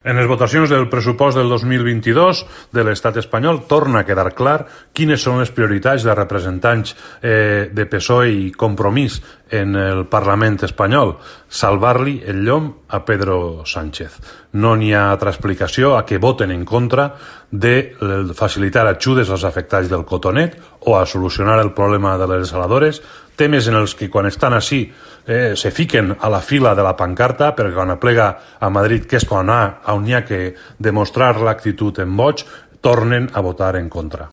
En les votacions del pressupost del 2022 de l'estat espanyol torna a quedar clar quines són les prioritats de representants de PSOE i Compromís en el Parlament espanyol: salvar-li el llom a Pedro Sánchez. No n'hi ha altra explicació a que voten en contra de facilitar ajudes als afectats del cotonet o a solucionar el problema de les desaladores, temes en els que quan estan així se fiquen a la fila de la pancarta, perquè quan aplega a Madrid, que és on hi ha que demostrar l'actitud en boig, tornen a votar en contra.